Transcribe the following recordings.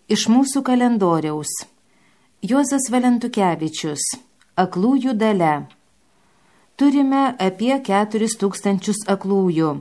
Iš mūsų kalendoriaus. Juozas Valentukevičius. Aklųjų dalia. Turime apie 4000 aklųjų.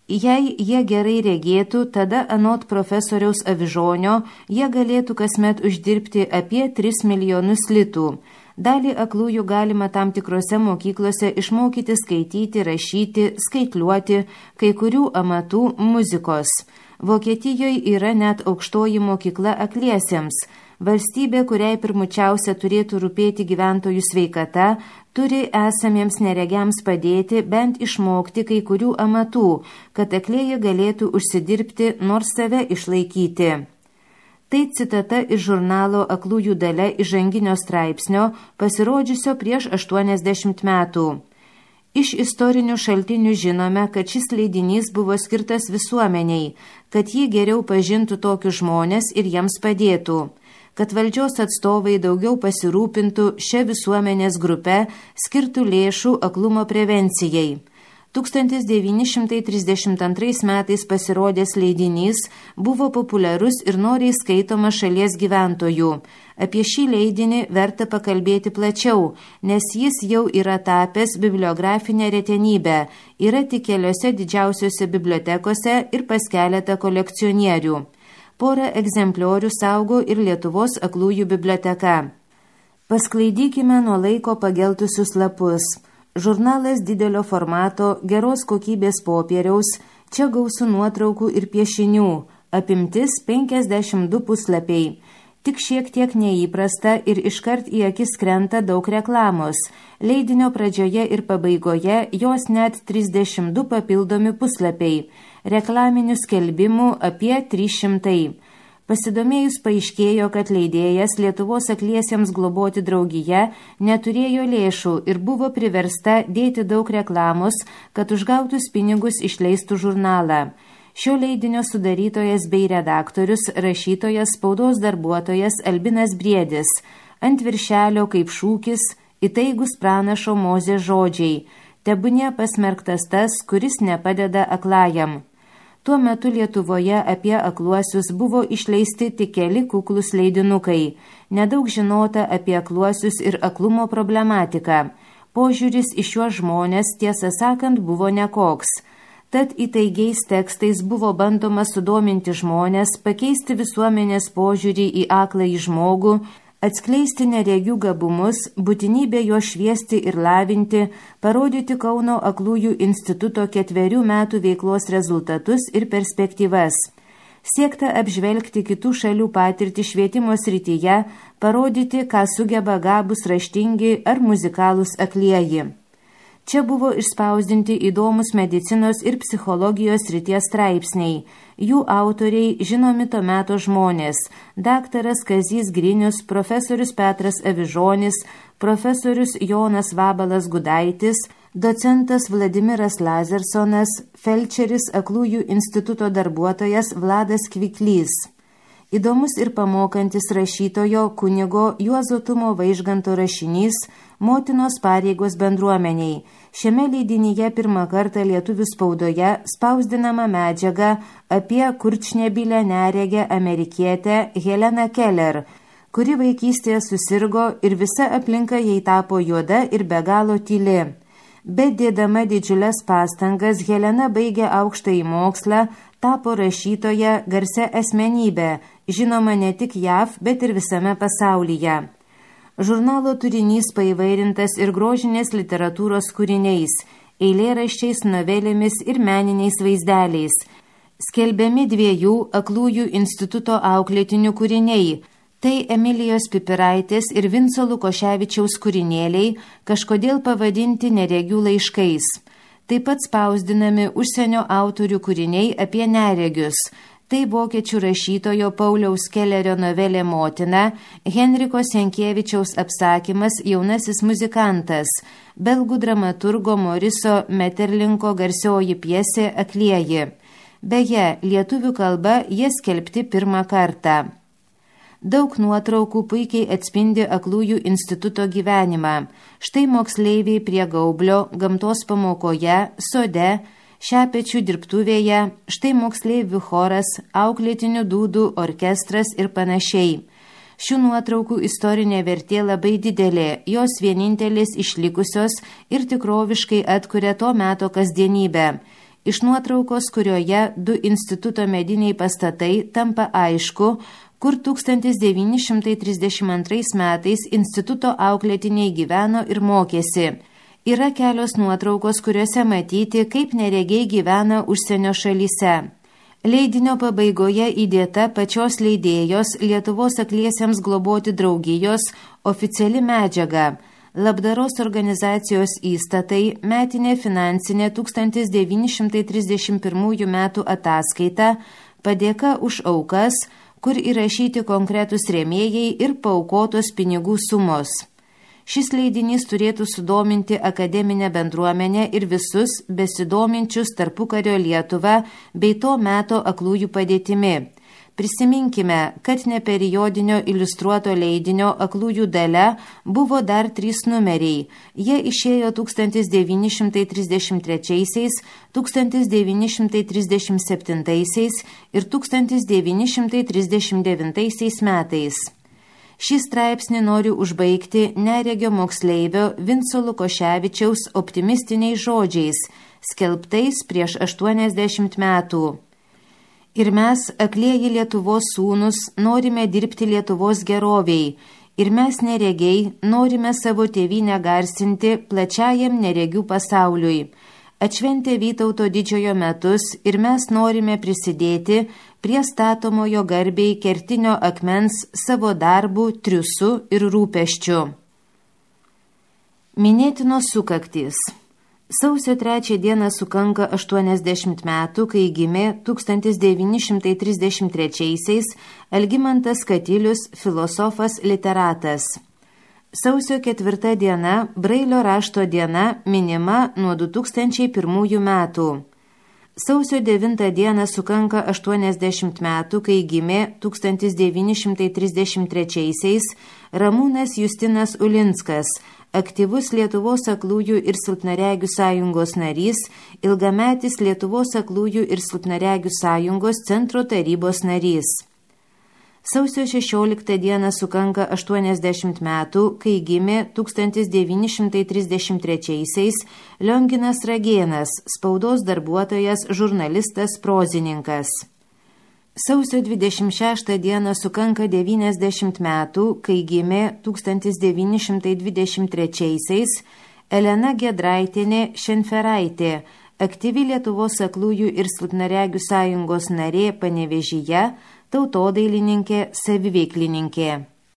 Jei jie gerai regėtų, tada anot profesoriaus Avižonio jie galėtų kasmet uždirbti apie 3 milijonus litų. Dalį aklųjų galima tam tikrose mokyklose išmokyti skaityti, rašyti, skaitliuoti, kai kurių amatų muzikos. Vokietijoje yra net aukštoji mokykla akliesiems. Valstybė, kuriai pirmučiausia turėtų rūpėti gyventojų sveikata, turi esamiems neregiams padėti bent išmokti kai kurių amatų, kad aklieji galėtų užsidirbti, nors save išlaikyti. Tai citata iš žurnalo Aklųjų dalia įžanginio straipsnio, pasirodžiusio prieš 80 metų. Iš istorinių šaltinių žinome, kad šis leidinys buvo skirtas visuomeniai, kad jį geriau pažintų tokius žmonės ir jiems padėtų, kad valdžios atstovai daugiau pasirūpintų šią visuomenės grupę, skirtų lėšų aklumo prevencijai. 1932 metais pasirodęs leidinys buvo populiarus ir noriai skaitomas šalies gyventojų. Apie šį leidinį verta pakalbėti plačiau, nes jis jau yra tapęs bibliografinę retenybę, yra tik keliose didžiausiose bibliotekose ir pas keletą kolekcionierių. Porą egzempliorių saugo ir Lietuvos aklųjų biblioteka. Pasklaidykime nuo laiko pageltusius lapus. Žurnalas didelio formato, geros kokybės popieriaus, čia gausų nuotraukų ir piešinių, apimtis 52 puslapiai. Tik šiek tiek neįprasta ir iškart į akis krenta daug reklamos. Leidinio pradžioje ir pabaigoje jos net 32 papildomi puslapiai. Reklaminių skelbimų apie 300. Pasidomėjus paaiškėjo, kad leidėjas Lietuvos akliesiems globoti draugija neturėjo lėšų ir buvo priversta dėti daug reklamos, kad už gautus pinigus išleistų žurnalą. Šio leidinio sudarytojas bei redaktorius, rašytojas, spaudos darbuotojas Albinas Briedis. Ant viršelio kaip šūkis įtaigus pranašo Mozės žodžiai: tebūnie pasmerktas tas, kuris nepadeda aklajam. Tuo metu Lietuvoje apie akluosius buvo išleisti tik keli kuklus leidinukai. Nedaug žinota apie akluosius ir aklumo problematiką. Požiūris į šiuos žmonės, tiesą sakant, buvo nekoks. Tad įtaigiais tekstais buvo bandoma sudominti žmonės, pakeisti visuomenės požiūrį į akląjį žmogų, atskleisti neregių gabumus, būtinybę jo šviesti ir lavinti, parodyti Kauno aklųjų instituto 4 metų veiklos rezultatus ir perspektyvas. Siekta apžvelgti kitų šalių patirtį švietimo srityje, parodyti, ką sugeba gabūs raštingi ar muzikalūs aklieji. Čia buvo išspausdinti įdomus medicinos ir psichologijos srities straipsniai. Jų autoriai žinomi to meto žmonės: daktaras Kazys Grinius, profesorius Petras Avižonis, profesorius Jonas Vabalas Gudaitis, docentas Vladimiras Lazersonas, felčeris Aklųjų instituto darbuotojas Vladas Kviklys. Įdomus ir pamokantis rašytojo kunigo Juozo Tumo Vaižganto rašinys Motinos pareigos bendruomeniai. Šiame leidinyje pirmą kartą lietuvių spaudoje spausdinama medžiaga apie kurčnebilę neregę amerikietę Heleną Keller, kuri vaikystėje susirgo ir visa aplinka jai tapo juoda ir be galo tyli. Bet dėdama didžiules pastangas, Helena baigė aukštąjį mokslą, tapo rašytoja, garsia asmenybė, žinoma ne tik JAV, bet ir visame pasaulyje. Žurnalo turinys paįvairintas ir grožinės literatūros kūriniais, eilėraščiais, novelėmis ir meniniais vaizdeliais. Skelbiami 2 Aklųjų instituto auklėtinių kūriniai. Tai Emilijos Pipiraitės ir Vinco Lukoševičiaus kūrinėliai, kažkodėl pavadinti neregių laiškais. Taip pat spausdinami užsienio autorių kūriniai apie neregius. Tai vokiečių rašytojo Pauliaus Kellerio novelė Motina, Henriko Senkievičiaus apsakymas Jaunasis muzikantas, belgų dramaturgo Moriso Meterlinko garsioji pjesė Aklieji. Beje, lietuvių kalba jie skelbti pirmą kartą. Daug nuotraukų puikiai atspindi Aklųjų instituto gyvenimą. Štai moksleiviai prie gaublio, gamtos pamokoje, sode, Šepečių dirbtuvėje, štai moksleivių choras, auklėtinių dūdų orkestras ir panašiai. Šių nuotraukų istorinė vertė labai didelė, jos vienintelis išlikusios ir tikroviškai atkuria to meto kasdienybę. Iš nuotraukos, kurioje 2 instituto mediniai pastatai, tampa aišku, kur 1932 metais instituto auklėtiniai gyveno ir mokėsi. Yra kelios nuotraukos, kuriuose matyti, kaip neregiai gyvena užsienio šalyse. Leidinio pabaigoje įdėta pačios leidėjos Lietuvos akliesiems globoti draugijos oficiali medžiaga. Labdaros organizacijos įstatai, metinė finansinė 1931 metų ataskaita, padėka už aukas, kur įrašyti konkretus rėmėjai ir paaukotos pinigų sumos. Šis leidinys turėtų sudominti akademinę bendruomenę ir visus besidominčius tarpukario Lietuvą bei to meto aklųjų padėtimi. Prisiminkime, kad neperiodinio iliustruoto leidinio aklųjų dalia buvo dar 3 numeriai. Jie išėjo 1933, 1937 ir 1939 metais. Šį straipsnį noriu užbaigti neregio moksleivio Vinco Lukoševičiaus optimistiniais žodžiais, skelbtais prieš 80 metų. Ir mes, aklieji Lietuvos sūnus, norime dirbti Lietuvos geroviai, ir mes neregiai norime savo tėvynę garsinti plačiajam neregių pasauliui. Atšventė Vytauto didžiojo metus ir mes norime prisidėti prie statomojo garbei kertinio akmens savo darbų, triūsu ir rūpesčiu. Minėtinos sukaktys. Sausio 3 dieną sukanka 80 metų, kai gimė 1933 Algimantas Katilius, filosofas literatas. Sausio 4 diena, Brailio rašto diena, minima nuo 2001 metų. Sausio 9 dieną sukanka 80 metų, kai gimė 1933 Ramūnas Justinas Ulinskas, aktyvus Lietuvos aklųjų ir silpnaregių sąjungos narys, ilgametis Lietuvos aklųjų ir silpnaregių sąjungos centro tarybos narys. Sausio 16 dieną sukanka 80 metų, kai gimė 1933 Lionginas Ragėnas, spaudos darbuotojas, žurnalistas, prozininkas. Sausio 26 dieną sukanka 90 metų, kai gimė 1923 Elena Giedraitienė Šenferaitė, aktyvi Lietuvos aklųjų ir silpnaregių sąjungos narė Panevėžyje, tautodailininkė, saviveiklininkė.